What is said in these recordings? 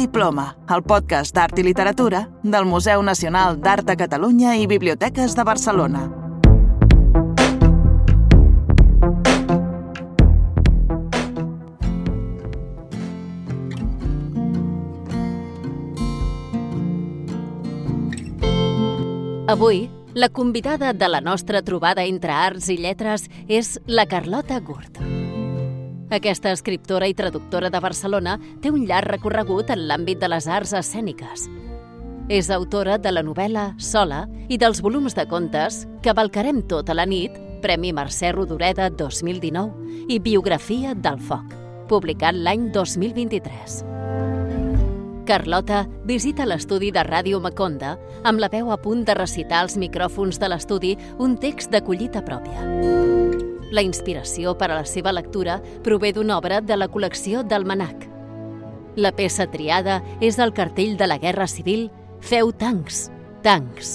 Paper i Ploma, el podcast d'art i literatura del Museu Nacional d'Art de Catalunya i Biblioteques de Barcelona. Avui, la convidada de la nostra trobada entre arts i lletres és la Carlota Gurt. Aquesta escriptora i traductora de Barcelona té un llarg recorregut en l'àmbit de les arts escèniques. És autora de la novel·la Sola i dels volums de contes Cavalcarem tota la nit, Premi Mercè Rodoreda 2019 i Biografia del foc, publicat l'any 2023. Carlota visita l'estudi de Ràdio Maconda amb la veu a punt de recitar als micròfons de l'estudi un text de collita pròpia. La inspiració per a la seva lectura prové d'una obra de la col·lecció d'Almanac. La peça triada és el cartell de la Guerra Civil Feu tancs, tancs,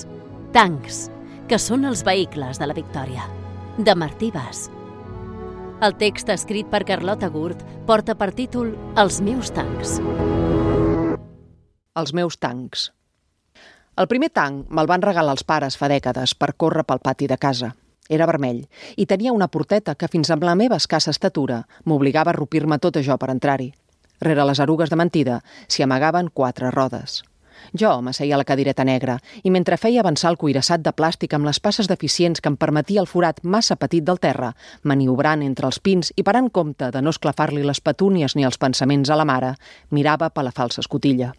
tancs, que són els vehicles de la victòria, de Martí Bas. El text escrit per Carlota Gurt porta per títol Els meus tancs. Els meus tancs. El primer tanc me'l van regalar els pares fa dècades per córrer pel pati de casa. Era vermell i tenia una porteta que fins amb la meva escassa estatura m'obligava a rupir-me tot això per entrar-hi. Rere les erugues de mentida s'hi amagaven 4 rodes. Jo m'asseia a la cadireta negra i mentre feia avançar el cuirassat de plàstic amb les passes deficients que em permetia el forat massa petit del terra, maniobrant entre els pins i parant compte de no esclafar-li les petúnies ni els pensaments a la mare, mirava per la falsa escotilla.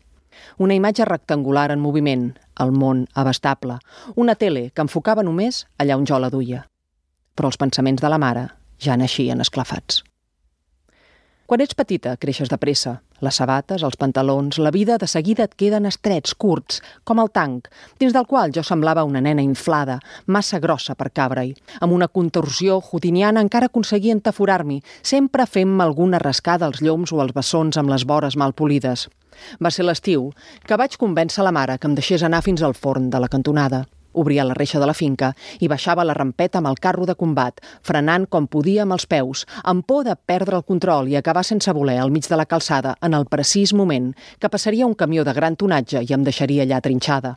Una imatge rectangular en moviment, el món abastable, una tele que enfocava només allà on jo la duia. Però els pensaments de la mare ja naixien esclafats. Quan ets petita, creixes de pressa. Les sabates, els pantalons, la vida de seguida et queden estrets, curts, com el tanc, dins del qual jo semblava una nena inflada, massa grossa per cabre-hi. Amb una contorsió houdiniana encara aconseguia entaforar-m'hi, sempre fent-me alguna rascada als lloms o als bessons amb les vores mal polides. Va ser l'estiu que vaig convèncer la mare que em deixés anar fins al forn de la cantonada. Obria la reixa de la finca i baixava la rampeta amb el carro de combat, frenant com podia amb els peus, amb por de perdre el control i acabar sense voler al mig de la calçada en el precís moment que passaria un camió de gran tonatge i em deixaria allà trinxada.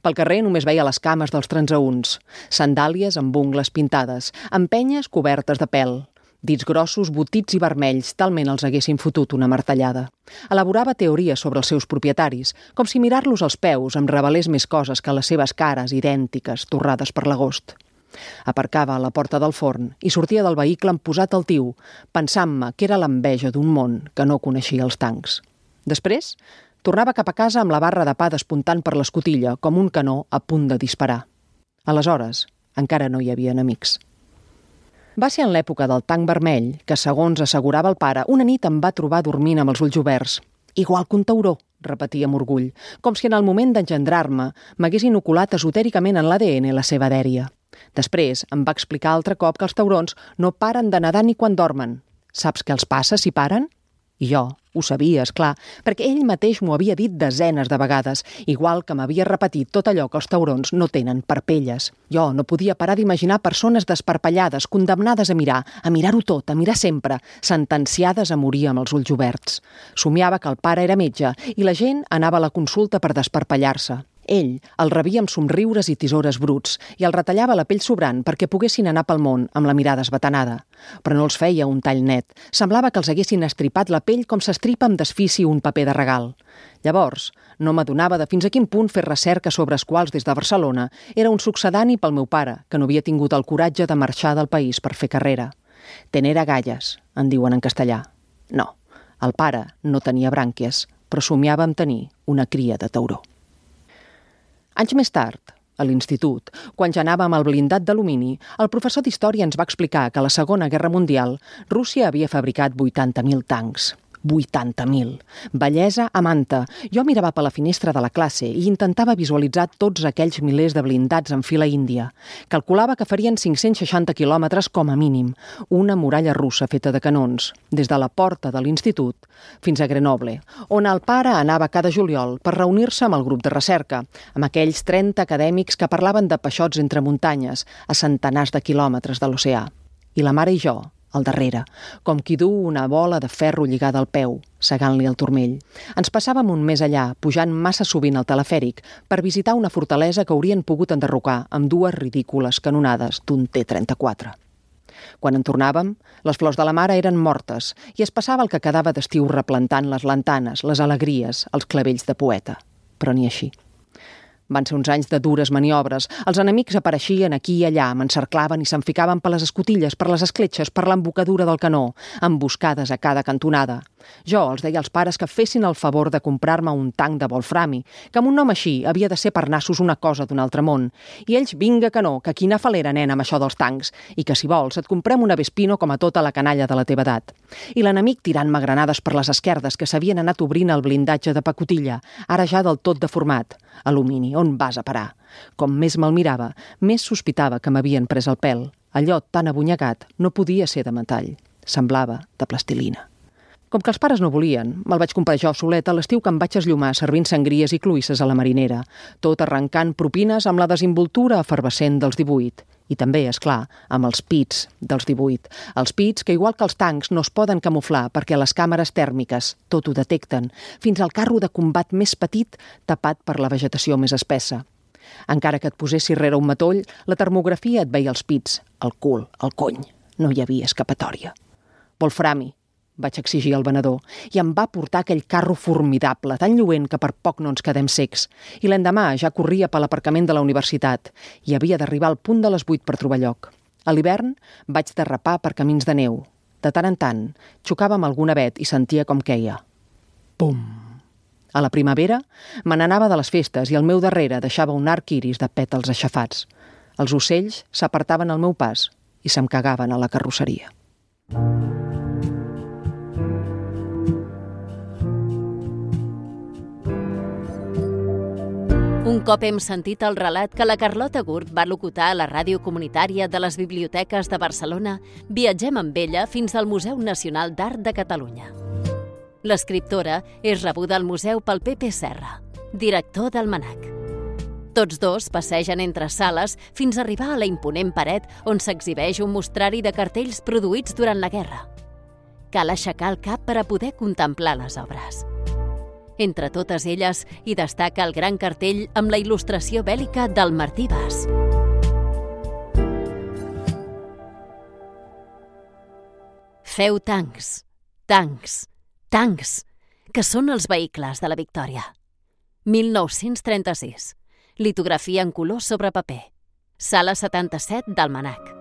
Pel carrer només veia les cames dels transeünts, sandàlies amb ungles pintades, amb penyes cobertes de pèl, dits grossos, botits i vermells, talment els haguessin fotut una martellada. Elaborava teories sobre els seus propietaris, com si mirar-los als peus em revelés més coses que les seves cares idèntiques, torrades per l'agost. Aparcava a la porta del forn i sortia del vehicle amb posat altiu, pensant-me que era l'enveja d'un món que no coneixia els tancs. Després, tornava cap a casa amb la barra de pa despuntant per l'escotilla, com un canó a punt de disparar. Aleshores, encara no hi havia amics. Va ser en l'època del tanc vermell que, segons assegurava el pare, una nit em va trobar dormint amb els ulls oberts. Igual que un tauró, repetia amb orgull, com si en el moment d'engendrar-me m'hagués inoculat esotèricament en l'ADN la seva dèria. Després em va explicar altre cop que els taurons no paren de nedar ni quan dormen. Saps què els passa si paren? I jo ho sabia, esclar, perquè ell mateix m'ho havia dit desenes de vegades, igual que m'havia repetit tot allò que els taurons no tenen parpelles. Jo no podia parar d'imaginar persones desparpellades, condemnades a mirar-ho tot, a mirar sempre, sentenciades a morir amb els ulls oberts. Somiava que el pare era metge i la gent anava a la consulta per desparpellar-se. Ell el rebia amb somriures i tisores bruts i el retallava la pell sobrant perquè poguessin anar pel món amb la mirada esbatanada. Però no els feia un tall net. Semblava que els haguessin estripat la pell com s'estripa amb desfici un paper de regal. Llavors, no m'adonava de fins a quin punt fer recerca sobre esquals des de Barcelona era un succedani pel meu pare, que no havia tingut el coratge de marxar del país per fer carrera. Tener agalles, en diuen en castellà. No, el pare no tenia brànquies, però somiava amb tenir una cria de tauró. Anys més tard, a l'institut, quan ja anàvem al blindat d'alumini, el professor d'història ens va explicar que a la Segona Guerra Mundial Rússia havia fabricat 80.000 tancs. 80.000. Bellesa a manta. Jo mirava per la finestra de la classe i intentava visualitzar tots aquells milers de blindats en fila índia. Calculava que farien 560 quilòmetres com a mínim, una muralla russa feta de canons, des de la porta de l'institut fins a Grenoble, on el pare anava cada juliol per reunir-se amb el grup de recerca, amb aquells 30 acadèmics que parlaven de peixots entre muntanyes, a centenars de quilòmetres de l'oceà. I la mare i jo al darrere, com qui du una bola de ferro lligada al peu, segant-li el turmell. Ens passàvem un mes allà, pujant massa sovint al telefèric, per visitar una fortalesa que haurien pogut enderrocar amb 2 ridícules canonades d'un T-34. Quan en tornàvem, les flors de la mare eren mortes i es passava el que quedava d'estiu replantant les lantanes, les alegries, els clavells de poeta. Però ni així. Van ser uns anys de dures maniobres. Els enemics apareixien aquí i allà, m'encerclaven i se'n ficaven per les escotilles, per les escletxes, per l'embocadura del canó, emboscades a cada cantonada. Jo els deia als pares que fessin el favor de comprar-me un tanc de Wolframi, que amb un nom així havia de ser per nassos una cosa d'un altre món. I ells, vinga que no, que quina falera, nena, amb això dels tancs, i que si vols et comprem una Vespino com a tota la canalla de la teva edat. I l'enemic tirant-me granades per les esquerdes que s'havien anat obrint el blindatge de pacotilla, ara ja del tot deformat. Alumini, on vas a parar? Com més me'l mirava, més sospitava que m'havien pres el pèl. Allò tan abunyegat no podia ser de metall. Semblava de plastilina. Com que els pares no volien, me'l vaig comprar jo solet a l'estiu que em vaig esllomar servint sangries i cloïsses a la marinera, tot arrencant propines amb la desinvoltura efervescent dels 18. I també, és clar, amb els pits dels 18. Els pits que, igual que els tancs, no es poden camuflar perquè les càmeres tèrmiques tot ho detecten, fins al carro de combat més petit tapat per la vegetació més espessa. Encara que et posessis rere un matoll, la termografia et veia els pits, el cul, el cony. No hi havia escapatòria. Wolframi, vaig exigir al venedor, i em va portar aquell carro formidable, tan lluent que per poc no ens quedem secs. I l'endemà ja corria per l'aparcament de la universitat i havia d'arribar al punt de les 8 per trobar lloc. A l'hivern vaig derrapar per camins de neu. De tant en tant, xocava amb algun avet i sentia com queia. Pum! A la primavera, me n'anava de les festes i al meu darrere deixava un arc iris de pètals aixafats. Els ocells s'apartaven al meu pas i se'm cagaven a la carrosseria. Un cop hem sentit el relat que la Carlota Gurt va locutar a la ràdio comunitària de les biblioteques de Barcelona, viatgem amb ella fins al Museu Nacional d'Art de Catalunya. L'escriptora és rebuda al museu pel Pepe Serra, director del MNAC. Tots dos passegen entre sales fins a arribar a la imponent paret on s'exhibeix un mostrari de cartells produïts durant la guerra. Cal aixecar el cap per a poder contemplar les obres. Entre totes elles hi destaca el gran cartell amb la il·lustració bèl·lica del Martí Bas. Feu tancs, tancs, tancs, que són els vehicles de la victòria. 1936. Litografia en color sobre paper. Sala 77 del MNAC.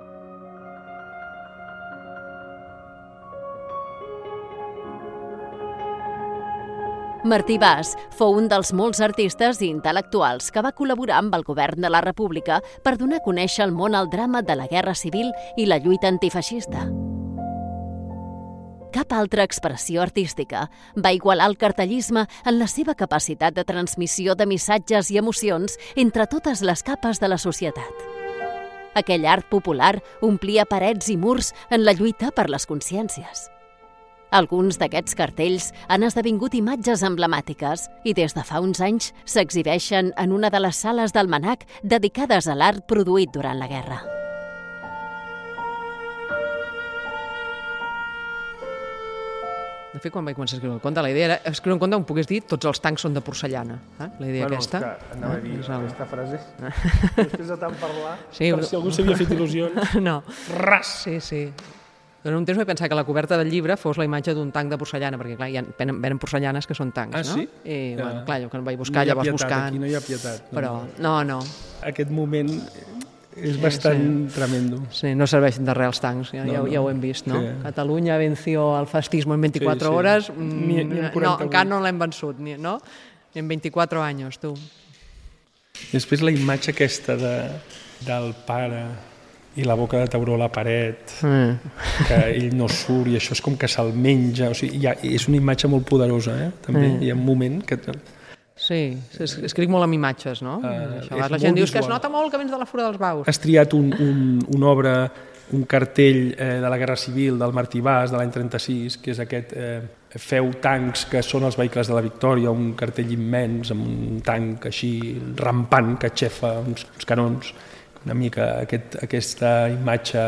Martí Bas fou un dels molts artistes i intel·lectuals que va col·laborar amb el govern de la República per donar a conèixer al món el drama de la Guerra Civil i la lluita antifeixista. Cap altra expressió artística va igualar el cartellisme en la seva capacitat de transmissió de missatges i emocions entre totes les capes de la societat. Aquell art popular omplia parets i murs en la lluita per les consciències. Alguns d'aquests cartells han esdevingut imatges emblemàtiques i des de fa uns anys s'exhibeixen en una de les sales del MNAC dedicades a l'art produït durant la guerra. De fet, quan vaig començar a escriure el conte, la idea era escriure un conte on pogués dir tots els tancs són de porcellana. La idea aquesta. Anava a dir aquesta frase. Després de tant parlar, sí, per si algú s'havia fet il·lusions. No. Ras! Sí. Durant un temps vaig pensar que la coberta del llibre fos la imatge d'un tanc de porcellana, perquè clar, venen porcellanes que són tancs, no? Sí? I bueno, clar, jo que no vaig buscar, ja vas buscant. Aquí no hi ha pietat. Però no. Aquest moment és bastant tremendo. Sí, no serveixen de res els tancs, ja ho hem vist, no? Sí. Catalunya venció el fascismo en 24 hores, ni en 48. No, encara no l'hem vençut, no? Ni en 24 anys, tu. Després la imatge aquesta del pare i la boca de tauró a la paret, que ell no surt i això és com que se'l menja, o sigui, és una imatge molt poderosa, també. Hi ha un moment que... Sí, escric molt amb imatges, no? La gent diu que es nota molt que vens de la Fura dels Baus. Has triat una obra, un cartell de la Guerra Civil del Martí Bas de l'any 36, que és aquest feu tancs que són els vehicles de la victòria, un cartell immens amb un tanc així rampant que aixefa uns canons. Una mica aquesta imatge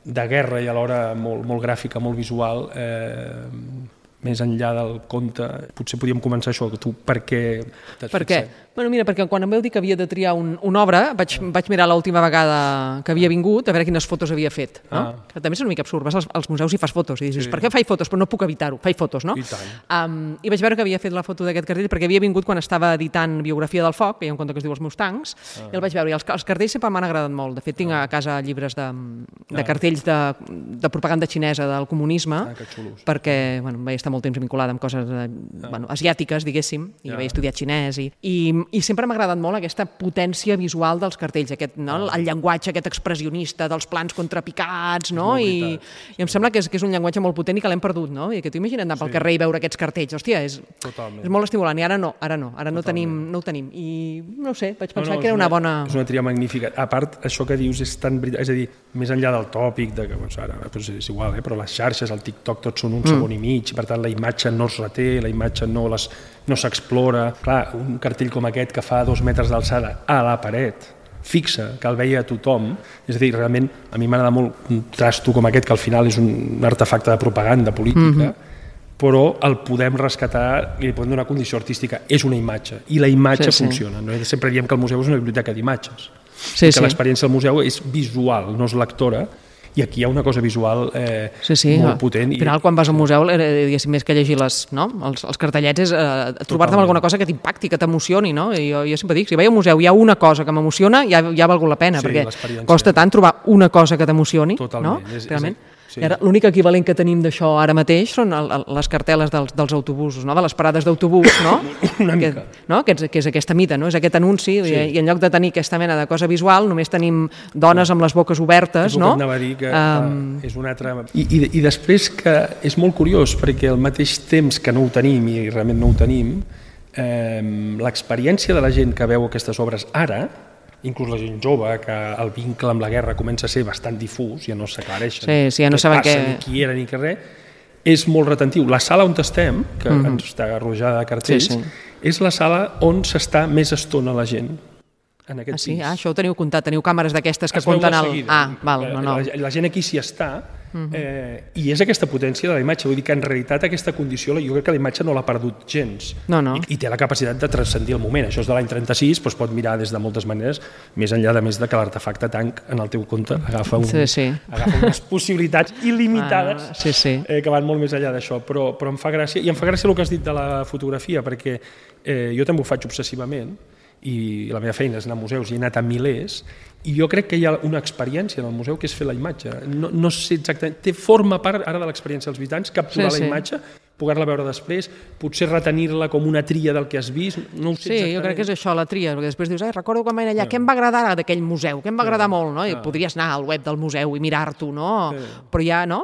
de guerra i alhora molt gràfica, molt visual, més enllà del conte, potser podíem començar això, tu per què t'has fixat? Bueno, mira, perquè quan em veu dir que havia de triar una obra, vaig mirar l'última vegada que havia vingut a veure quines fotos havia fet, no? Que també és una mica absurd, vas als museus i fas fotos i dius, per què faig fotos? Però no puc evitar-ho, faig fotos, no? I tant. I vaig veure que havia fet la foto d'aquest cartell perquè havia vingut quan estava editant Biografia del Foc, que hi ha un conte que es diu Els meus tancs, i el vaig veure, i els cartells sempre m'han agradat molt. De fet, tinc a casa llibres de cartells de propaganda xinesa del comunisme, perquè vaig estar molt temps vinculada amb coses asiàtiques, diguéssim, i vaig estudiar xinès, i sempre m'ha agradat molt aquesta potència visual dels cartells, el llenguatge aquest expressionista dels plans contrapicats, no? I em sembla que és un llenguatge molt potent i que l'hem perdut, no? I que tu imagina't anar pel carrer i veure aquests cartells, hòstia, és molt estimulant, i ara no ho tenim, i no ho sé, vaig pensar que era una bona... És una tria magnífica. A part, això que dius és tan veritat, és a dir, més enllà del tòpic, que ara és igual, però les xarxes, el TikTok, tots són un segon i mig, per tant la imatge no es reté, la imatge no s'explora. Clar, un cartell com aquest que fa 2 metres d'alçada a la paret, fixa, que el veia tothom, és a dir, realment a mi m'agrada molt un trasto com aquest, que al final és un artefacte de propaganda política, però el podem rescatar i li podem donar condició artística. És una imatge, i la imatge funciona. Sempre diem que el museu és una biblioteca d'imatges, que l'experiència del museu és visual, no és lectora, i aquí hi ha una cosa visual molt potent. Al final, quan vas al museu, més que llegir els cartellets, és trobar-te amb alguna cosa que t'impacti, que t'emocioni, no? I jo sempre dic, si vaig al museu hi ha una cosa que m'emociona, ja ha valgut la pena, perquè costa tant trobar una cosa que t'emocioni, no? Realment. L'únic equivalent que tenim d'això ara mateix són les cartel·les dels autobusos, de les parades d'autobús, una mica. Que és aquesta mida, és aquest anunci, i en lloc de tenir aquesta mena de cosa visual, només tenim dones amb les boques obertes. És el que anava a dir, que és una altra... I després que és molt curiós, perquè al mateix temps que no ho tenim, i realment no ho tenim, l'experiència de la gent que veu aquestes obres ara, inclús la gent jove, que el vincle amb la guerra comença a ser bastant difús, ja no s'aclareixen ja no saben ni qui era ni què res, és molt retentiu. La sala on estem, que ens està arrojada de cartells, és la sala on s'està més estona la gent en aquest pis. Això ho teniu comptat, teniu càmeres d'aquestes que compten el... La gent aquí s'hi està, i és aquesta potència de la imatge, vull dir que en realitat aquesta condició jo crec que la imatge no l'ha perdut gens, i té la capacitat de transcendir el moment. Això és de l'any 36, però es pot mirar des de moltes maneres, més enllà de que l'artefacte tanc en el teu compte agafa unes possibilitats il·limitades que van molt més enllà d'això, però em fa gràcia, i em fa gràcia el que has dit de la fotografia, perquè jo també ho faig obsessivament, i la meva feina és anar a museus i he anat a milers, i jo crec que hi ha una experiència en el museu que és fer la imatge. No sé exactament, forma part ara de l'experiència dels visitants, capturar la imatge, poder-la veure després, potser retenir-la com una tria del que has vist, no ho sé exactament. Jo crec que és això, la tria, perquè després dius, recordo quan vaig allà, què em va agradar d'aquell museu, què em va agradar molt, no? I podries anar al web del museu i mirar-t'ho, no? Però ja, no?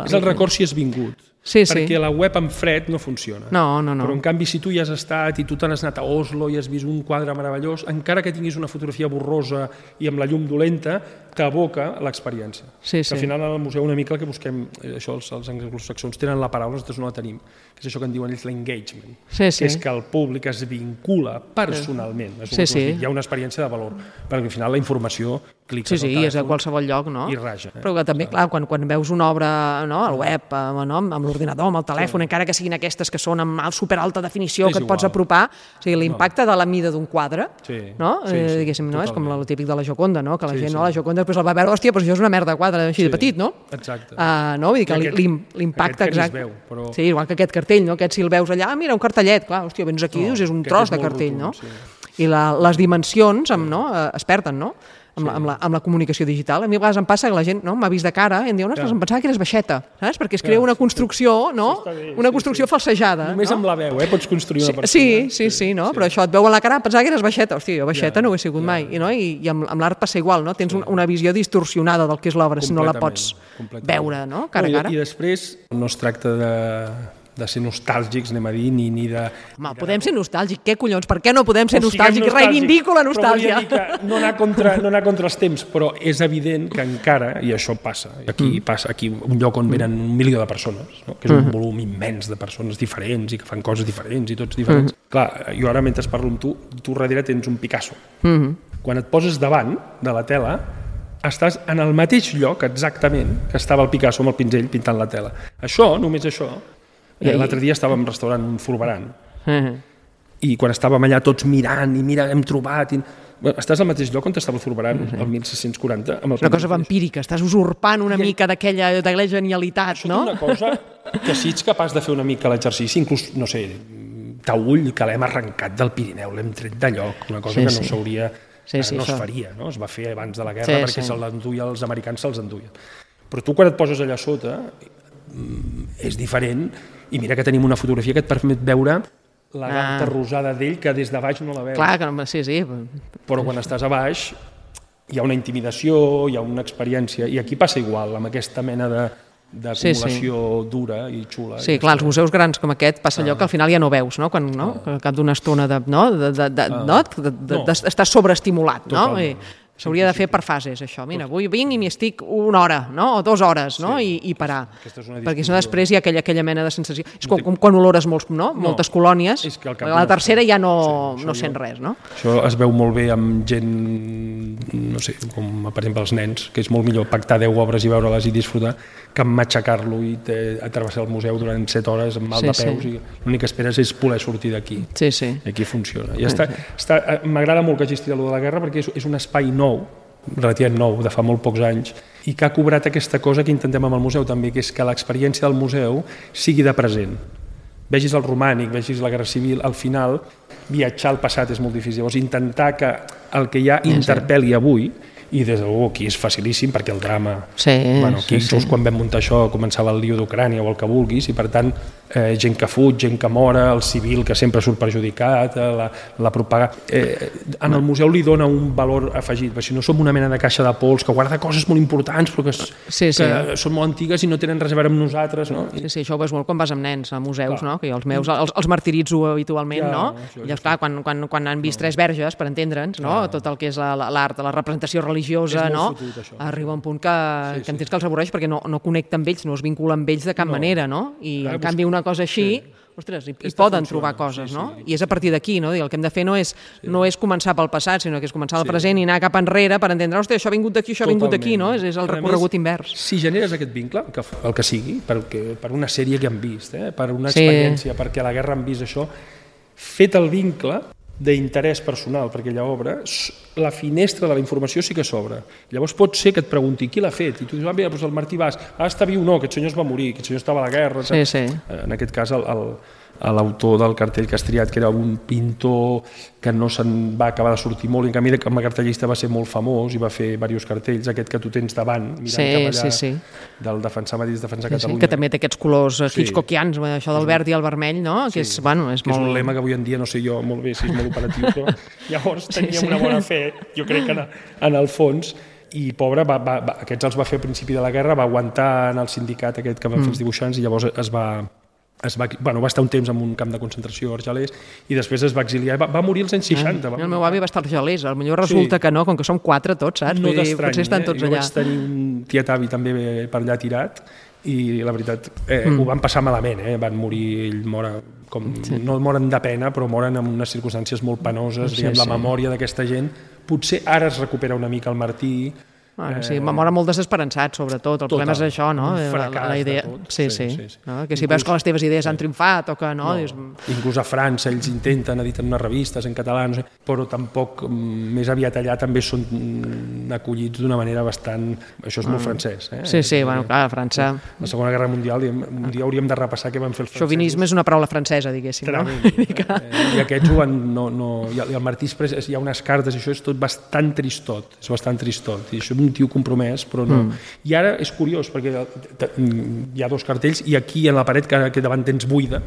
És el record si has vingut. Perquè la web en fred no funciona. No. Però en canvi, si tu hi has estat i tu t'has anat a Oslo i has vist un quadre meravellós, encara que tinguis una fotografia borrosa i amb la llum dolenta, t'aboca l'experiència. Que al final al museu una mica el que busquem, això els anglosaxons tenen la paraula, nosaltres no la tenim, que és això que en diuen ells l'engagement, que és que el públic es vincula personalment. Hi ha una experiència de valor, perquè al final la informació cliques al telèfon, és a qualsevol lloc, no? I raja. Però que també, clar, quan veus una obra al web, amb l'ordinador, amb el telèfon, encara que siguin aquestes que són amb superalta definició, que et pots apropar, l'impacte de la mida d'un quadre, diguéssim, és com el típic de la Gioconda, que la gent, la Gioconda després el va veure, hòstia, però això és una merda de quadre així de petit, no? Exacte. Vull dir que l'impacte exacte. Sí, igual que aquest cartell, no? Aquest si el veus allà, mira, un cartellet, clar, hòstia, vens aquí i dius, és un tros de cartell, no? I les dimensions es perden, no? Amb la comunicació digital. A mi a vegades em passa que la gent m'ha vist de cara i em diu, em pensava que eres baixeta, saps? Perquè es crea una construcció, una construcció falsejada. Només amb la veu, pots construir una persona. Sí, però això et veu a la cara, em pensava que eres baixeta. Hòstia, jo baixeta no ho he sigut mai. I amb l'art passa igual, no? Tens una visió distorsionada del que és l'obra, si no la pots veure, no? Cara a cara. I després no es tracta de ser nostàlgics, anem a dir, ni de... Home, podem ser nostàlgics, què collons? Per què no podem ser nostàlgics? Reivindico la nostàlgia. Però volia dir que no anar contra els temps, però és evident que encara, i això passa, aquí un lloc on venen 1 milió de persones, que és un volum immens de persones diferents i que fan coses diferents i tots diferents. Clar, jo ara mentre parlo amb tu darrere tens un Picasso. Quan et poses davant de la tela, estàs en el mateix lloc exactament que estava el Picasso amb el pinzell pintant la tela. Això, només això, l'altre dia estàvem en un restaurant, un Zurbarán, i quan estàvem allà tots mirant, i mira, hem trobat... Estàs al mateix lloc on estava el Zurbarán, el 1640. És una cosa vampírica, estàs usurpant una mica d'aquella genialitat, no? Això és una cosa que si ets capaç de fer una mica l'exercici, inclús, no sé, Taüll, que l'hem arrencat del Pirineu, l'hem tret de lloc, una cosa que no s'hauria... no es faria, no? Es va fer abans de la guerra perquè se l'enduia, els americans se'ls enduien. Però tu quan et poses allà sota és diferent, i mira que tenim una fotografia que et permet veure la galta rosada d'ell, que des de baix no la veus. Clar, sí. Però quan estàs a baix hi ha una intimidació, hi ha una experiència, i aquí passa igual, amb aquesta mena d'acumulació dura i xula. Sí, clar, els museus grans com aquest passa allò que al final ja no veus, no? Quan, al cap d'una estona estàs sobreestimulat, no? S'hauria de fer per fases, això. Mira, avui vinc i m'hi estic una hora, no? O 2 hores, no? I parar. Perquè si no després hi ha aquella mena de sensació. És com quan olores moltes colònies, a la tercera ja no sent res, no? Això es veu molt bé amb gent, no sé, com per exemple els nens, que és molt millor pactar 10 obres i veure-les i disfrutar, que matxacar-lo i travessar el museu durant 7 hores amb mal de peus, i l'únic que esperes és poder sortir d'aquí. Sí. I aquí funciona. M'agrada molt que hagi allò de la guerra perquè és un espai nou, relativament nou, de fa molt pocs anys, i que ha cobrat aquesta cosa que intentem amb el museu també, que és que l'experiència del museu sigui de present. Vegis el romànic, vegis la Guerra Civil, al final viatjar al passat és molt difícil. Llavors intentar que el que ja interpel·li avui, i des de aquí és facilíssim perquè el drama, aquí quan vam muntar això començava el lío d'Ucrània o el que vulguis, i per tant gent que fuig, gent que mora, el civil que sempre surt perjudicat, la propaganda. En el museu li dona un valor afegit, perquè si no som una mena de caixa de pols que guarda coses molt importants però que són molt antigues i no tenen res a veure amb nosaltres. Sí, això ho veus molt quan vas amb nens a museus, que els meus els martiritzo habitualment, no? I llavors, clar, quan han vist 3 verges, per entendre'ns, tot el que és l'art, la representació religiosa, arriba un punt que em tens que els avorreix perquè no connecta amb ells, no es vincula amb ells de cap manera, no? I en canvi una cosa així, ostres, hi poden trobar coses, no? I és a partir d'aquí, no? El que hem de fer no és començar pel passat, sinó que és començar al present i anar cap enrere per entendre, ostres, això ha vingut d'aquí, això ha vingut d'aquí, no? És el recorregut invers. Si generes aquest vincle, el que sigui, per una sèrie que han vist, per una experiència, perquè a la guerra han vist això, fet el vincle d'interès personal per aquella obra, la finestra de la informació sí que s'obre. Llavors pot ser que et pregunti qui l'ha fet, i tu dius, mira, el Martí Bas, està viu, no, aquest senyor es va morir, aquest senyor estava a la guerra. En aquest cas, l'autor del cartell que has triat, que era un pintor que no se'n va acabar de sortir molt, i en canvi com a cartellista va ser molt famós i va fer diversos cartells, aquest que tu tens davant, mirant cap allà, del defensar Madrid, defensar Catalunya. Que també té aquests colors hitchcockians, això del verd i el vermell, no? Que és molt... És un lema que avui en dia no sé jo molt bé si és molt operatiu, però llavors tenia una bona fe, jo crec que en el fons, i pobre, aquests els va fer a principi de la guerra, va aguantar en el sindicat aquest que van fer els dibuixants, i llavors va estar un temps en un camp de concentració a Argelers i després es va exiliar, va morir als anys 60. El meu avi va estar a Argelers, potser resulta que no, com que som 4 tots, saps? No t'estrany, potser estan tots allà. Jo vaig tenir un tiet avi també per allà tirat i la veritat ho van passar malament, van morir, ell mora no moren de pena, però moren en unes circumstàncies molt penoses, la memòria d'aquesta gent. Potser ara es recupera una mica el Martí. Sí, mora molt desesperançat, sobretot. El problema és això, no? Un fracàs de tot. Sí. Que si veus que les teves idees han triomfat o que no... Inclús a França ells intenten, editen unes revistes en català, no sé, però tampoc, més aviat allà també són acollits d'una manera bastant... Això és molt francès. Sí, bueno, clar, a França... La Segona Guerra Mundial, un dia hauríem de repassar què van fer els francesos. Xovinisme és una paraula francesa, diguéssim, no? I aquests ho van... I el Martí Express, hi ha unes cartes, això és tot bastant tristot, i això un tio compromès, però no. I ara és curiós, perquè hi ha 2 cartells i aquí a la paret que davant tens buida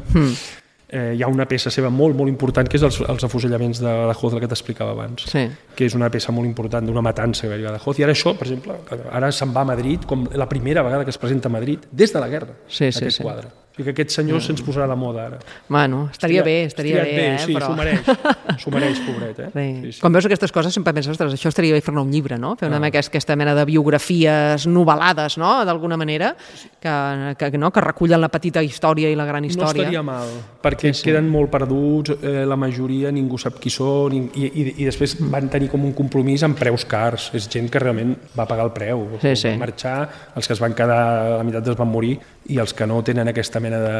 hi ha una peça seva molt, molt important, que és els afusellaments de la Jozla que t'explicava abans, que és una peça molt important d'una matança que va arribar de Hoz. I ara això, per exemple, ara se'n va a Madrid com la primera vegada que es presenta a Madrid des de la guerra, aquest quadre. que aquest senyor se'ns posarà de moda ara. Bueno, estaria bé, sí, però... s'ho mereix, pobret, Sí. Quan veus aquestes coses sempre penses, ostres, això estaria bé fer-ne un llibre, no? Fer aquesta mena de biografies novel·lades, no?, d'alguna manera, que recullen la petita història i la gran història. No estaria mal, perquè queden molt perduts, la majoria ningú sap qui són, i després van tenir com un compromís amb preus cars. És gent que realment va pagar el preu. Van marxar, els que es van quedar, la meitat es van morir, i els que no tenen aquesta mena de,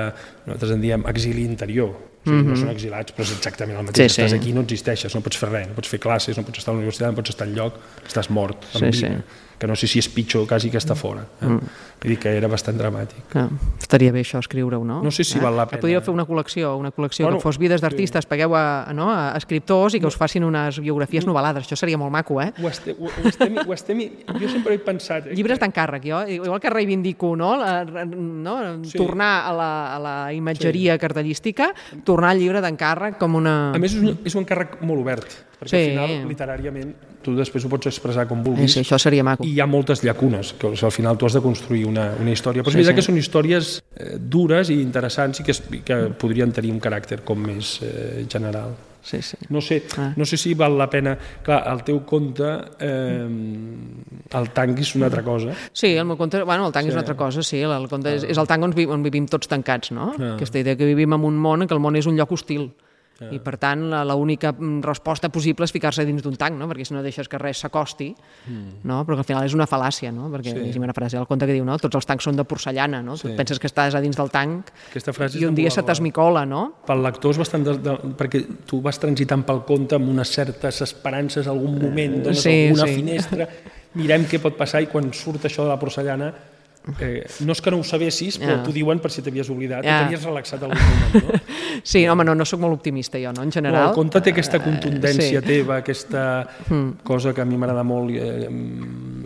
nosaltres en diem, exili interior. O sigui, no són exilats, però és exactament el mateix. Estàs aquí, no existeixes, no pots fer res, no pots fer classes, no pots estar a la universitat, no pots estar enlloc, estàs mort, amb vida. Que no sé si és pitjor quasi que estar fora. Vull dir que era bastant dramàtic. Estaria bé això, escriure-ho, no? No sé si val la pena. Podríeu fer una col·lecció que fos vides d'artistes, pagueu a escriptors i que us facin unes biografies novel·lades. Això seria molt maco, eh? Jo sempre he pensat... Llibres d'encàrrec, jo. Igual que reivindico, tornar a la imatgeria cartellística, tornar al llibre d'encàrrec com una... A més, és un encàrrec molt obert, perquè al final, literàriament, tu després ho pots expressar com vulguis. Sí, això seria maco. I hi ha moltes llacunes, que al final tu has de construir una història. Però és veritat que són històries dures i interessants i que podrien tenir un caràcter com més general. Sí. No sé si val la pena... Clar, el teu conte, el tanc és una altra cosa. Sí, el meu conte, el tanc és una altra cosa, sí. El conte és el tanc on vivim tots tancats, no? Aquesta idea que vivim en un món en què el món és un lloc hostil. I per tant l'única resposta possible és ficar-se dins d'un tanc, no? Perquè si no deixes que res s'acosti, no? Però que al final és una fal·làcia, no? Perquè hi ha una frase al conte que diu, no? Tots els tancs són de porcellana, no? Tu penses que estàs a dins del tanc i un dia se t'esmicola, no? Pel lector és bastant... perquè tu vas transitant pel conte amb unes certes esperances, algun moment, dones alguna finestra, mirem què pot passar i quan surt això de la porcellana no és que no ho sabessis, però t'ho diuen per si t'havies oblidat, t'havies relaxat algun moment, no? Sí, home, no soc molt optimista jo, no, en general. El conte té aquesta contundència teva, aquesta cosa que a mi m'agrada molt,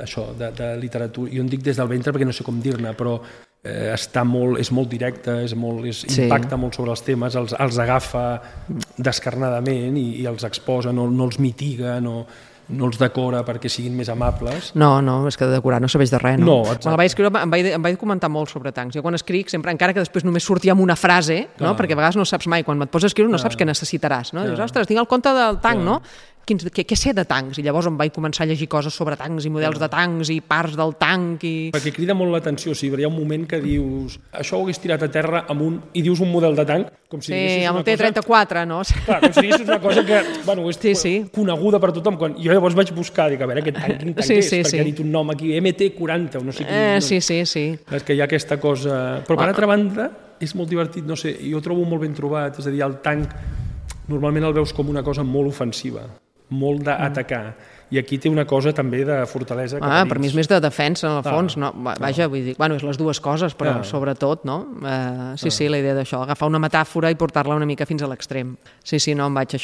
això, de literatura. Jo en dic des del ventre perquè no sé com dir-ne, però és molt directe, impacta molt sobre els temes, els agafa descarnadament i els exposa, no els mitiga, no els decora perquè siguin més amables. No, és que de decorar no serveix de res, no? No, exacte. Me la vaig escriure, em vaig comentar molt sobre tancs. Jo quan escric, sempre, encara que després només surti amb una frase, no? Perquè a vegades no saps mai, quan et poses a escriure no saps què necessitaràs, no? Dius, ostres, tinc el conte del tanc, no? Què sé de tancs? I llavors em vaig començar a llegir coses sobre tancs i models de tancs i parts del tanc i... Perquè crida molt l'atenció, hi ha un moment que dius això ho hagués tirat a terra i dius un model de tanc com si diguessis amb el T-34, no? Clar, com si diguessis una cosa que és coneguda per tothom. Jo llavors vaig buscar, dic, a veure, aquest tanc, quin tanc és? Perquè ha dit un nom aquí, MT-40 o no sé quin... Sí. És que hi ha aquesta cosa... Però per altra banda, és molt divertit, no sé, jo ho trobo molt ben trobat, és a dir, el tanc normalment el veus com una cosa molt ofensiva, molt d'atacar, i aquí té una cosa també de fortalesa. Per mi és més de defensa, en el fons. Vaja, vull dir, és les dues coses, però sobretot, no? Sí, la idea d'això, agafar una metàfora i portar-la una mica fins a l'extrem. Sí, no, em vaig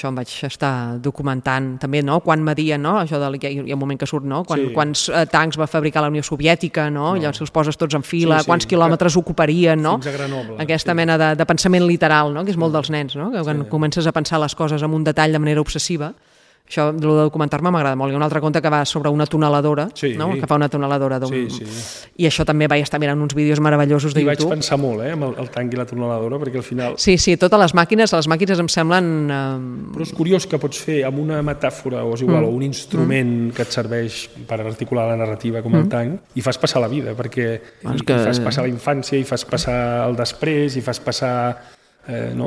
estar documentant també, no? Quan medien, no? Això hi ha un moment que surt, no? Quants tancs va fabricar la Unió Soviètica, no? I llavors els poses tots en fila, quants quilòmetres ocuparien, no? Fins a Grenoble. Aquesta mena de pensament literal, no? Que és molt dels nens, no? Que quan comences a pensar les coses amb un detall de manera obsessiva. Això, de documentar-me, m'agrada molt. Hi ha un altre conte que va sobre una tuneladora, no? Que fa una tuneladora I això també vaig estar mirant uns vídeos meravellosos de YouTube. I vaig pensar molt, amb el tanc i la tuneladora, perquè al final... Sí, totes les màquines em semblen... Però és curiós que pots fer amb una metàfora o un instrument que et serveix per articular la narrativa com el tanc i fas passar la vida, perquè fas passar la infància i fas passar el després i fas passar...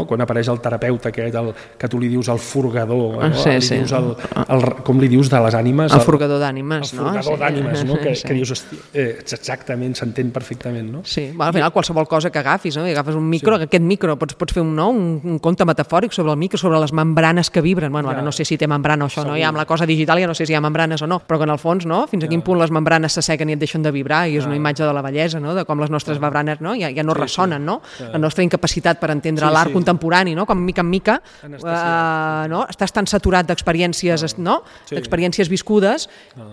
quan apareix el terapeuta aquest, que tu li dius el furgador, com li dius de les ànimes? El furgador d'ànimes, no? El furgador d'ànimes, no? Que dius, exactament, s'entén perfectament, no? Sí, al final qualsevol cosa que agafis, no? I agafes un micro, aquest micro, pots fer un conte metafòric sobre el micro, sobre les membranes que vibren. Bueno, ara no sé si té membrana o això, no? Ja amb la cosa digital ja no sé si hi ha membranes o no, però que en el fons, no? Fins a quin punt les membranes s'assequen i et deixen de vibrar, i és una imatge de la bellesa, no? De com les nostres membranes, no? Ja no ressonen, no? La nostra incapacitat per entendre l'art contemporani, no? Com mica en mica estàs tan saturat d'experiències d'experiències viscudes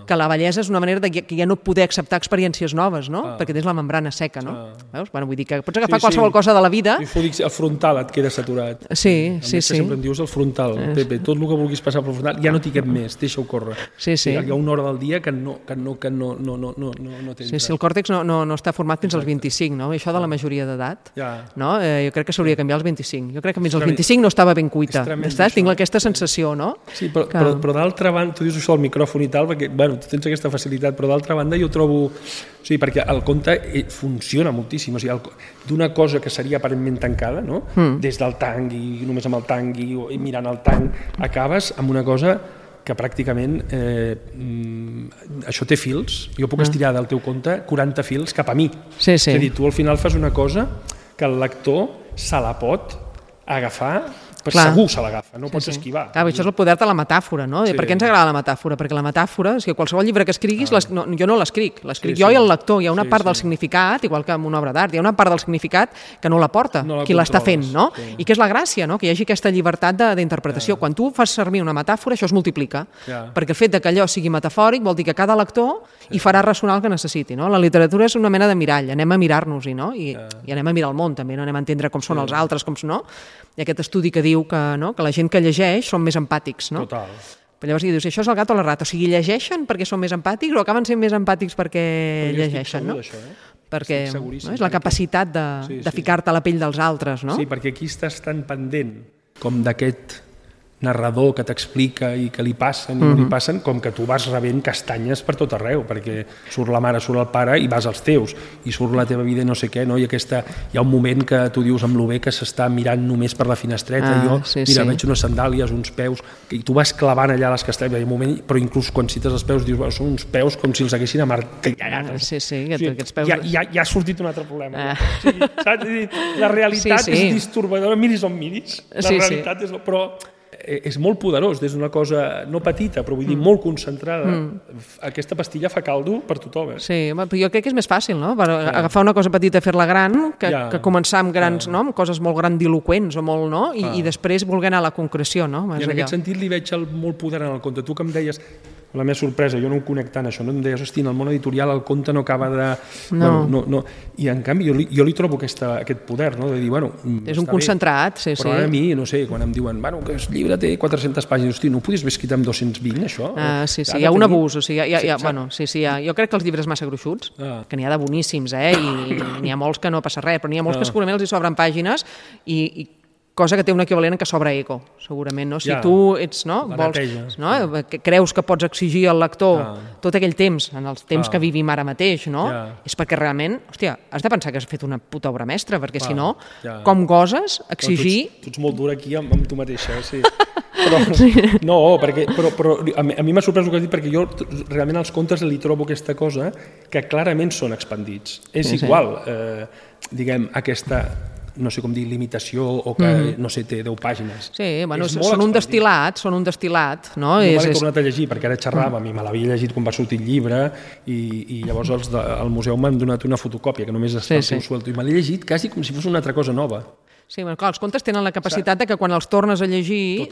que la bellesa és una manera que ja no poder acceptar experiències noves, no? Perquè tens la membrana seca, no? Veus? Bueno, vull dir que pots agafar qualsevol cosa de la vida... El frontal et queda saturat. Sí. Sempre em dius el frontal, Pepe, tot el que vulguis passar pel frontal, ja no t'hi cap més, deixa-ho córrer. Sí. Hi ha una hora del dia que no t'entra. Sí, el còrtex no està format fins als 25, no? Això de la majoria d'edat, no? Jo crec que s'hauria de canviar als 25. Jo crec que fins als 25 no estava ben cuita. Tinc aquesta sensació, no? Sí, però d'altra banda, tu dius això al micròfon i tal, perquè, bueno, tu tens aquesta facilitat, però d'altra banda jo trobo... O sigui, perquè el conte funciona moltíssim, o sigui, d'una cosa que seria aparentment tancada, no? Des del tanc i només amb el tanc i mirant el tanc, acabes amb una cosa que pràcticament això té fils. Jo puc estirar del teu conte 40 fils cap a mi. És a dir, tu al final fas una cosa que el lector se la pot agafar, però segur se l'agafa, no pots esquivar. Clar, això és el poder de la metàfora, no? Per què ens agrada la metàfora? Perquè la metàfora, és que qualsevol llibre que escriguis, jo no l'escric jo i el lector, hi ha una part del significat, igual que en una obra d'art, hi ha una part del significat que no la porta, qui l'està fent, no? I que és la gràcia, no? Que hi hagi aquesta llibertat d'interpretació. Quan tu fas servir una metàfora, això es multiplica, perquè el fet que allò sigui metafòric vol dir que cada lector hi farà ressonar el que necessiti, no? La literatura és una mena de mirall, anem a mirar-nos-hi, no? I anem a mirar el món, també, no? Anem a entendre com són els altres, no? Hi ha aquest estudi que diu que la gent que llegeix són més empàtics, no? Total. Però llavors dius, això és el gat o la rata? O sigui, llegeixen perquè són més empàtics o acaben sent més empàtics perquè llegeixen, no? Perquè és la capacitat de ficar-te a la pell dels altres, no? Sí, perquè aquí estàs tan pendent com d'aquest narrador que t'explica i que li passen i no li passen, com que tu vas rebent castanyes per tot arreu, perquè surt la mare, surt el pare i vas als teus, i surt la teva vida i no sé què, no? I hi ha un moment que tu dius amb lo bé que s'està mirant només per la finestreta, i jo, veig unes sandàlies, uns peus, i tu vas clavant allà les castanyes, però inclús quan cites els peus dius, són uns peus com si els haguessin amartellat. Aquests peus... Ja ha sortit un altre problema. La realitat és disturbadora, miris on miris, la realitat és... Però és molt poderós, des d'una cosa no petita, però vull dir molt concentrada. Aquesta pastilla fa caldo per tothom. Sí, però jo crec que és més fàcil, no? Agafar una cosa petita i fer-la gran, que començar amb grans, amb coses molt grandiloquents o molt, no? I després voler anar a la concreció, no? I en aquest sentit li veig molt poder en el conte. Tu que em deies, la meva sorpresa, jo no ho conec tant això, no? Em deies, hosti, en el món editorial el conte no acaba de... No. I en canvi jo li trobo aquest poder, no? De dir, bueno, és un concentrat, sí. Però a mi, no sé, quan em diuen, bueno, que el llibre té 400 pàgines, hosti, no ho podies haver escrit amb 220, això? Sí, hi ha un abús, o sigui, jo crec que els llibres massa gruixuts, que n'hi ha de boníssims, i n'hi ha molts que no passa res, però n'hi ha molts que segurament els hi sobren pàgines i cosa que té un equivalent en què sobra ego, segurament, no? Si tu ets, que creus que pots exigir al lector tot aquell temps, en els temps que vivim ara mateix, no? És perquè realment, hòstia, has de pensar que has fet una puta obra mestra, perquè si no, com goses exigir... Tu ets molt dur aquí amb tu mateixa, sí. No, però a mi m'ha sorprès el que has dit, perquè jo realment als contes li trobo aquesta cosa que clarament són expandits. És igual, diguem, aquesta... no sé com dir, limitació o que, no sé, té 10 pàgines. Sí, bueno, són un destil·lat, no? No me l'he tornat a llegir, perquè ara xerràvem i me l'havia llegit quan va sortir el llibre i llavors al museu m'han donat una fotocòpia que només està al seu suelto i me l'he llegit quasi com si fos una altra cosa nova. Sí, bueno, clar, els contes tenen la capacitat de que quan els tornes a llegir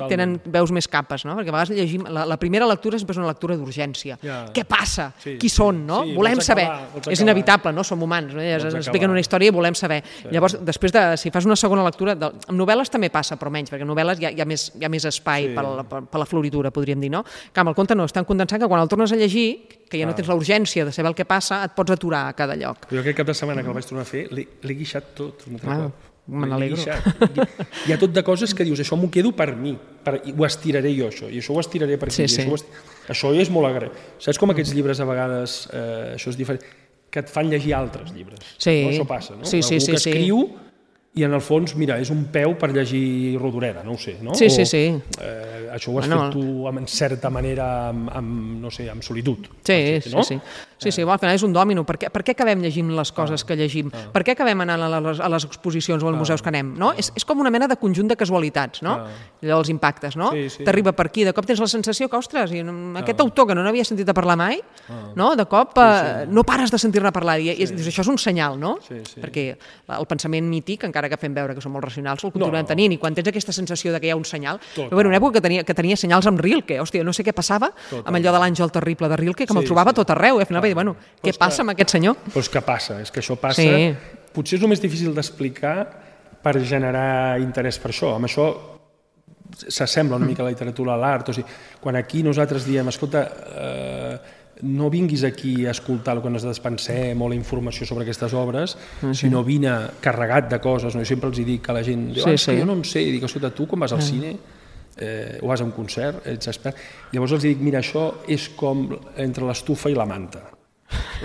veus més capes, no? Perquè a vegades llegim... La primera lectura és una lectura d'urgència. Què passa? Qui són, no? Volem saber. És inevitable, no? Som humans, no? Ens expliquen una història i volem saber. Llavors, després, si fas una segona lectura... Amb novel·les també passa, però menys, perquè en novel·les hi ha més espai per la floritura, podríem dir, no? Que amb el conte no, és tan condensat que quan el tornes a llegir, que ja no tens la urgència de saber el que passa, et pots aturar a cada lloc. Jo aquest cap de setmana que el vaig tornar a fer, l'he guixat tot un altre cop. Me n'alegro. Hi ha tot de coses que dius, això m'ho quedo per mi, ho estiraré jo, això, i això ho estiraré per aquí. Això és molt agraït. Saps com aquests llibres a vegades, això és diferent, que et fan llegir altres llibres? Això passa, no? Algú que escriu i en el fons, mira, és un peu per llegir Rodoreda, no ho sé, no? Sí. Això ho has fet tu, en certa manera, no sé, amb solitud. Sí. Sí, al final és un dòmino. Per què acabem llegint les coses que llegim? Per què acabem anant a les exposicions o als museus que anem? És com una mena de conjunt de casualitats, no? Els impactes, no? T'arriba per aquí, de cop tens la sensació que, ostres, aquest autor que no n'havia sentit a parlar mai, de cop no pares de sentir-ne parlar. I dius, això és un senyal, no? Perquè el pensament mític, encara que fem veure que som molt racionals, el continuem tenint. I quan tens aquesta sensació que hi ha un senyal... Però en una època que tenia senyals amb Rilke. Hòstia, no sé què passava amb allò de l'Àngel terrible de Rilke, que me'l trobava tot arreu. I al final vaig dir, bueno, què passa amb aquest senyor? Doncs què passa? És que això passa... Potser és el més difícil d'explicar per generar interès per això. Amb això s'assembla una mica a la literatura, a l'art. O sigui, quan aquí nosaltres diem, escolta, no vinguis aquí a escoltar el que ens despensem o la informació sobre aquestes obres, sinó vine carregat de coses. Jo sempre els dic a la gent, és que jo no em sé. Dic, escolta, tu quan vas al cine o vas a un concert, ets expert. Llavors els dic, mira, això és com entre l'estufa i la manta.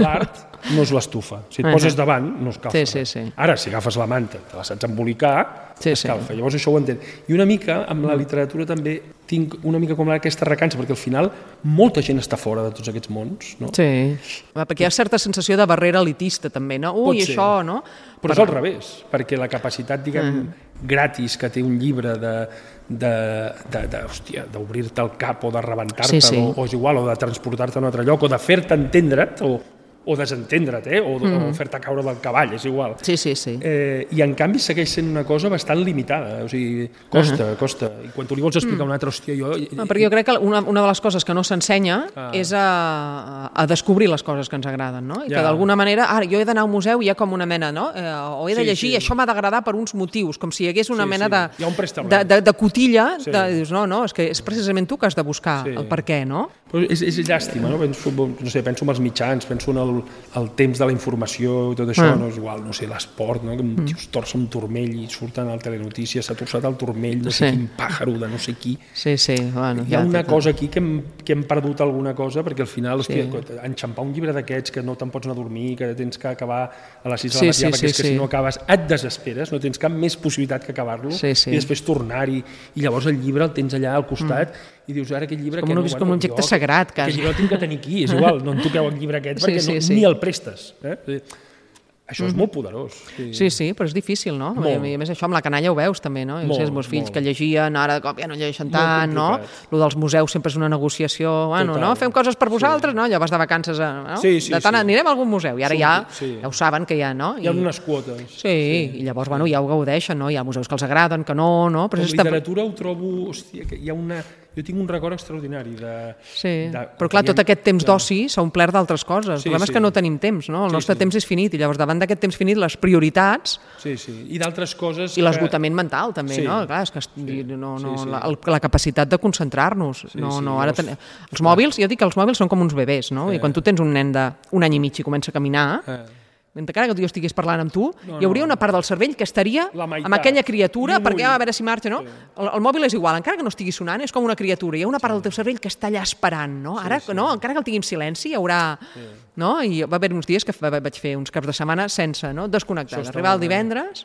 L'art no és l'estufa. Si et poses davant, no escalfa. Ara, si agafes la manta, te la saps embolicar, escalfa. Llavors això ho entenc. I una mica, amb la literatura també tinc una mica com aquesta recança, perquè al final molta gent està fora de tots aquests mons, no? Sí, perquè hi ha certa sensació de barrera elitista també, no? Ui, això, no? Però és al revés, perquè la capacitat, diguem, gratis que té un llibre d'obrir-te el cap o de rebentar-te, o és igual, o de transportar-te a un altre lloc, o de fer-te entendre't, o desentendre't, o fer-te caure del cavall, és igual. I en canvi segueix sent una cosa bastant limitada, o sigui, costa. I quan tu li vols explicar a un altre, hòstia, jo... Perquè jo crec que una de les coses que no s'ensenya és a descobrir les coses que ens agraden, no? I que d'alguna manera, ara, jo he d'anar a un museu i hi ha com una mena, no? O he de llegir, això m'ha d'agradar per uns motius, com si hi hagués una mena de cotilla, dius, no, és que és precisament tu que has de buscar el per què, no? És llàstima, no? Penso en els mitjans, penso en el temps de la informació i tot això, no és igual, no sé, l'esport, que un tio es torça un turmell i surten al Telenotícies, s'ha torçat el turmell, no sé quin pàjaro de no sé qui. Hi ha una cosa aquí que hem perdut alguna cosa, perquè al final, enxampar un llibre d'aquests que no te'n pots anar a dormir, que tens que acabar a les 6 de la matinada, perquè és que si no acabes et desesperes, no tens cap més possibilitat que acabar-lo, i després tornar-hi, i llavors el llibre el tens allà al costat, i dius, ara aquest llibre... És com un objecte sagrat, quasi. Aquest llibre el tinc que tenir aquí, és igual, no em toqueu el llibre aquest, perquè ni el prestes. Això és molt poderós. Sí, però és difícil, no? I a més això amb la canalla ho veus també, no? Els meus fills que llegien, ara de cop ja no llegeixen tant, no? Lo dels museus sempre és una negociació, bueno, no? Fem coses per vosaltres, no? Allò vas de vacances, de tant anirem a algun museu, i ara ja ho saben que hi ha, no? Hi ha unes quotes. Sí, i llavors, bueno, ja ho gaudeixen, no? Hi ha museus que els agraden, que no, no? Com literatura ho trobo, hòstia, que hi ha una... Jo tinc un record extraordinari de... Sí, però clar, tot aquest temps d'oci s'ha omplert d'altres coses. El problema és que no tenim temps, no? El nostre temps és finit, i llavors davant d'aquest temps finit les prioritats... I d'altres coses... I l'esgotament mental també, no? Clar, és que la capacitat de concentrar-nos. Els mòbils, jo dic que els mòbils són com uns bebès, no? I quan tu tens un nen d'un any i mig i comença a caminar... encara que jo estigués parlant amb tu, hi hauria una part del cervell que estaria amb aquella criatura, perquè a veure si marxa, no? El mòbil és igual, encara que no estigui sonant, és com una criatura, hi ha una part del teu cervell que està allà esperant, no? Ara, encara que el tingui en silenci, hi haurà... I va haver uns dies que vaig fer uns caps de setmana sense desconnectar. Arribar el divendres...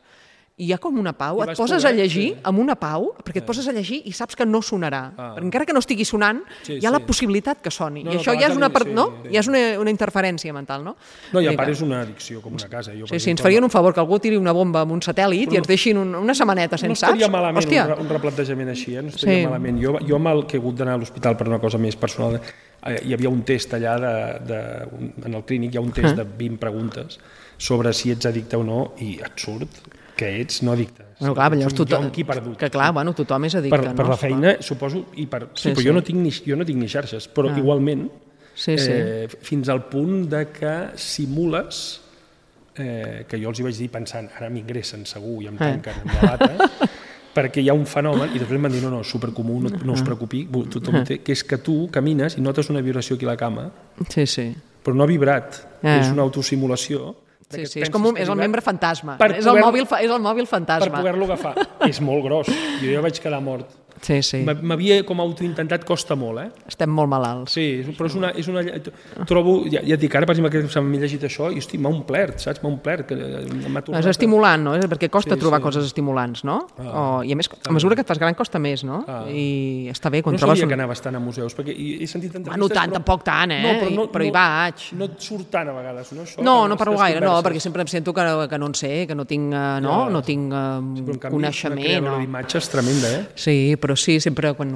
i hi ha com una pau, et poses a llegir amb una pau, perquè et poses a llegir i saps que no sonarà, perquè encara que no estigui sonant hi ha la possibilitat que soni, i això ja és una interferència mental, no? No, i a part és una addicció com una casa. Sí, ens farien un favor que algú tiri una bomba amb un satèl·lit i ens deixin una setmaneta sense saps. No estaria malament un replantejament així, no estaria malament. Jo amb el que he hagut d'anar a l'hospital per una cosa més personal, hi havia un test allà, en el clínic hi ha un test de 20 preguntes sobre si ets addicte o no, i et surt que ets no addicte. Bueno, clar, ets un jonqui perdut. Que clar, bueno, tothom és addicte. Per la feina, suposo, però jo no tinc ni xarxes, però igualment, fins al punt de que simules, que jo els hi vaig dir pensant, ara m'ingressen segur i em tanquen amb la bata, perquè hi ha un fenomen, i després em van dir, no, supercomú, no us preocupi, tothom té, que és que tu camines i notes una vibració aquí a la cama, però no ha vibrat, és una autosimulació. Sí, és el membre fantasma, és el mòbil fantasma. Per poder-lo agafar. És molt gros, jo ja vaig quedar mort. M'havia com autointentat, costa molt, Estem molt malalts. Sí, però és una trobo, ja et dic, ara per exemple que m'he llegit això i hosti, m'ha omplert, saps? M'ha omplert. És estimulant, no? Perquè costa trobar coses estimulants, no? I a més, a mesura que et fas gran costa més, no? I està bé quan trobes... No sabia que anaves tant a museus, perquè he sentit entrevistes... Bueno, tampoc tant, però hi vaig. No et surt tant a vegades, no? No parlo gaire, no, perquè sempre em sento que no en sé, que no tinc coneixement. Una d'imatge és tremenda, Sí, però sí, sempre quan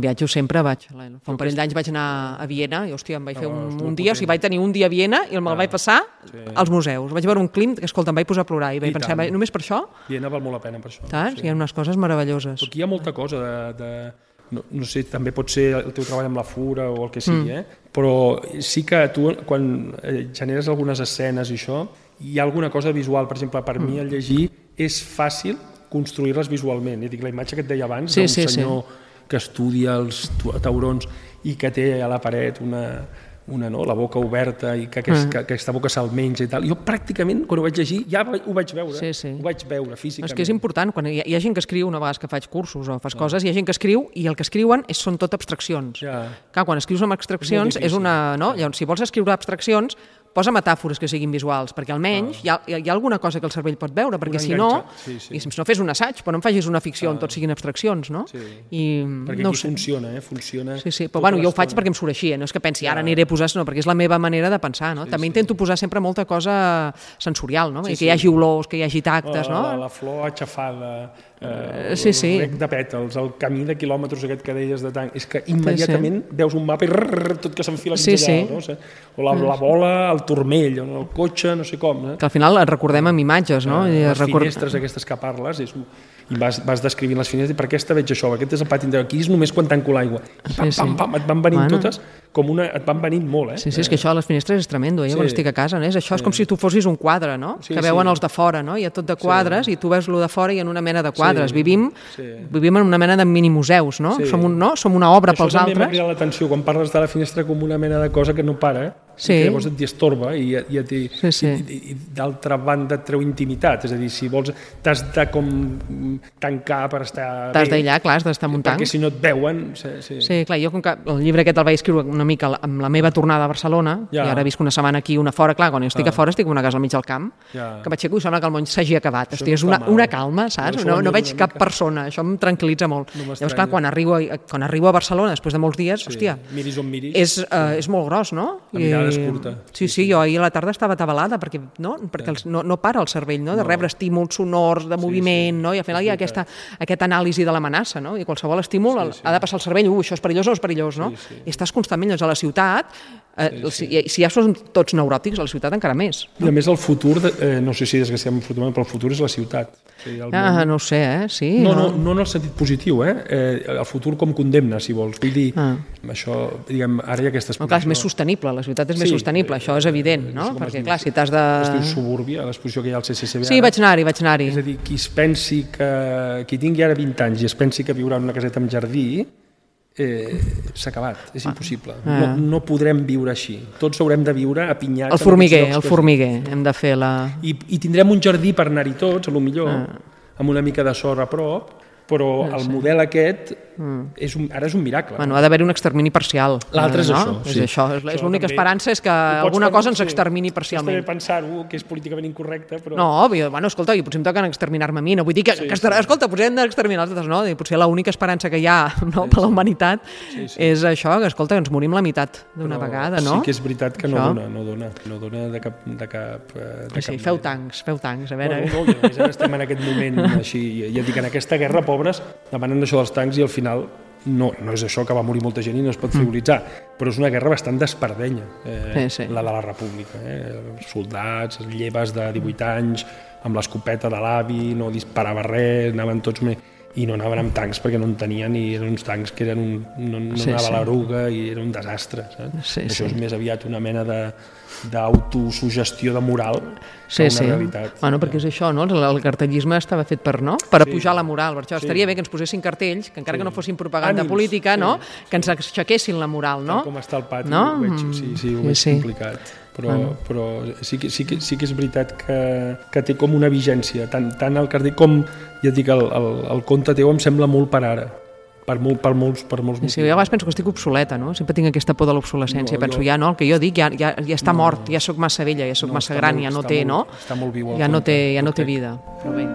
viatjo sempre vaig. Fa un parell d'anys vaig anar a Viena i, hòstia, em vaig fer un dia, o sigui, vaig tenir un dia a Viena i me'l vaig passar als museus. Vaig veure un Klimt que, escolta, em vaig posar a plorar i vaig pensar, només per això? Viena val molt la pena per això. Saps? Hi ha unes coses meravelloses. Aquí hi ha molta cosa no sé, també pot ser el teu treball amb la fura o el que sigui, però sí que tu, quan generes algunes escenes i això, hi ha alguna cosa visual. Per exemple, per mi el llegir és fàcil construir-les visualment. Dic, la imatge que et deia abans d'un senyor que estudia els taurons i que té a la paret la boca oberta i que aquesta boca se'l menja i tal. Jo pràcticament, quan ho vaig llegir, ja ho vaig veure. Ho vaig veure físicament. És que és important, quan hi ha gent que escriu, una vegada que faig cursos o fas coses, hi ha gent que escriu i el que escriuen són tot abstraccions. Clar, quan escrius amb abstraccions és una... Llavors, si vols escriure abstraccions, posa metàfores que siguin visuals, perquè almenys hi ha alguna cosa que el cervell pot veure, perquè si no, i si no fes un assaig, però no em facis una ficció on tot siguin abstraccions, no? Perquè aquí funciona, funciona... Sí, però bueno, jo ho faig perquè em surt així, no és que pensi, ara aniré a posar, no, perquè és la meva manera de pensar, no? També intento posar sempre molta cosa sensorial, no? Que hi hagi olors, que hi hagi tactes, no? La flor aixafada, el rec de pètals, el camí de quilòmetres aquest que deies de tanc, és que immediatament veus un mapa i tot que s'enfila fins allà, no? O la bola, el turmell, el cotxe, no sé com. Que al final et recordem amb imatges, no? Les finestres aquestes que parles, i vas descrivint les finestres, i per aquesta veig això, aquest és el pati interior, aquí és només quan tanco l'aigua. I pam, et van venint totes, et van venint molt, Sí, és que això a les finestres és tremendo, quan estic a casa, això és com si tu fossis un quadre, no? Que veuen els de fora, no? Hi ha tot de quadres i tu veus lo de fora i en una mena de quadres. Vivim en una mena de minimuseus, no? Som una obra pels altres. Això també m'ha cridat l'atenció, quan parles de la finestra com una mena de cosa que no para, que llavors et estorba i d'altra banda et treu intimitat, és a dir, si vols t'has de com tancar per estar bé. T'has d'aïllar, clar, has d'estar muntant. Perquè si no et veuen... Sí, clar, jo com que el llibre aquest el vaig escriure una mica amb la meva tornada a Barcelona, i ara visc una setmana aquí, una fora, clar, quan estic a fora estic en una casa al mig del camp, que m'aixeco i sembla que el món s'hagi acabat. És una calma, saps? No veig cap persona, això em tranquil·litza molt. Llavors, clar, quan arribo a Barcelona després de molts dies, hòstia, és molt gros, no? La mirada és curta. Sí, jo ahir a la tarda estava atabalada perquè no para el cervell, no? De rebre estímuls sonors, de moviment, no? I al final hi ha aquesta anàlisi de l'amenaça, no? I qualsevol estímul ha de passar al cervell, això és perillós o és perillós, no? I estàs constantment a la ciutat, si ja són tots neuròtics, a la ciutat encara més. I a més el futur, no sé si desgraciadament però el futur és la ciutat. No ho sé, sí. No en el sentit positiu, el futur com condemna, si vols. Vull dir, això, diguem, ara hi ha aquesta exposició. Clar, és més sostenible, la ciutat és més sostenible, això és evident, no? Perquè, clar, si t'has de... Es diu Suburbia, l'exposició que hi ha al CCCB. Sí, vaig anar-hi. És a dir, qui tingui ara 20 anys i es pensi que viurà en una caseta amb jardí, s'ha acabat, és impossible. No podrem viure així. Tots haurem de viure apinyats... El formiguer, hem de fer la... I tindrem un jardí per anar-hi tots, a lo millor, amb una mica de sorra a prop, però el model aquest ara és un miracle. Bueno, ha d'haver un extermini parcial. L'altre és això. És l'única esperança, és que alguna cosa ens extermini parcialment. Està bé pensar-ho, que és políticament incorrecte, però... No, escolta, potser em toquen exterminar-me a mi, no vull dir que escolta, potser hem d'exterminar els altres, no? Potser l'única esperança que hi ha per la humanitat és això, que escolta, que ens morim la meitat d'una vegada, no? Sí que és veritat que no dona de cap... Sí, feu tancs, a veure... Ara estem en aquest moment així, ja dic, en aquesta guerra, pobres, demanen això dels tancs i al final no és això, que va morir molta gent i no es pot frivolitzar, però és una guerra bastant d'espardenya, la de la República. Soldats, lleves de 18 anys, amb l'escopeta de l'avi, no disparava res, anaven tots... I no anaven amb tancs perquè no en tenien, i eren uns tancs que no anava l'eruga i era un desastre. Això és més aviat una mena d'autosugestió de moral que una realitat. Perquè és això, no? El cartellisme estava fet per apujar la moral. Per això estaria bé que ens posessin cartells, que encara que no fossin propaganda política, que ens aixequessin la moral. Com està el pati, ho veig complicat. Però sí que és veritat que té com una vigència, tant el cartell com, ja et dic, el conte teu em sembla molt per ara. per molts motius. Sí, jo a vegades penso que estic obsoleta, no? Sempre tinc aquesta por de l'obsolescència. Penso, ja no, el que jo dic ja està mort, ja sóc massa vella, ja sóc massa gran, ja no té, no? Està molt viu. Ja no té vida. Però bé.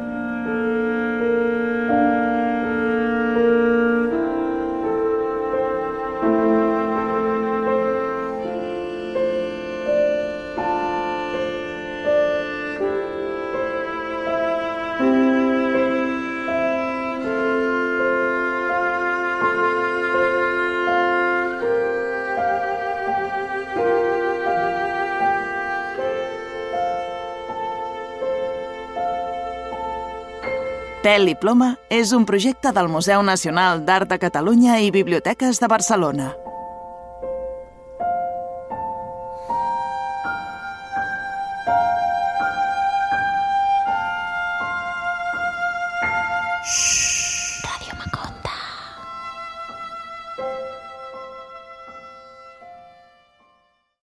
Pèl i ploma és un projecte del Museu Nacional d'Art de Catalunya i Biblioteques de Barcelona.